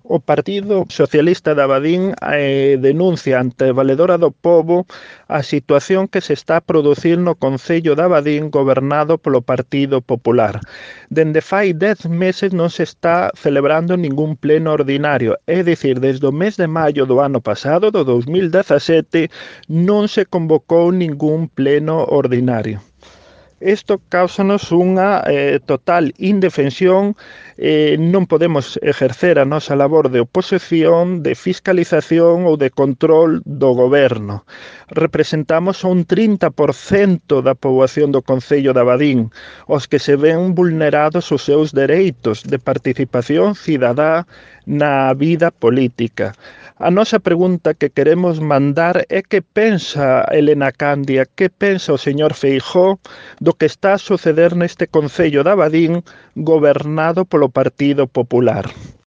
O Partido Socialista de Abadín denuncia ante a Valedora do Pobo a situación que se está a producir no Concello de Abadín gobernado polo Partido Popular. Dende fai 10 meses non se está celebrando ningún pleno ordinario, é dicir, desde o mes de maio do ano pasado, do 2017, non se convocou ningún pleno ordinario. Isto cáusanos unha total indefensión, non podemos exercer a nosa labor de oposición, de fiscalización ou de control do goberno. Representamos un 30% da poboación do Concello de Abadín, os que se ven vulnerados os seus dereitos de participación cidadá na vida política. A nosa pregunta que queremos mandar é que pensa Elena Candia, que pensa o señor Feijóo do que está a suceder neste Concello de Abadín gobernado polo Partido Popular.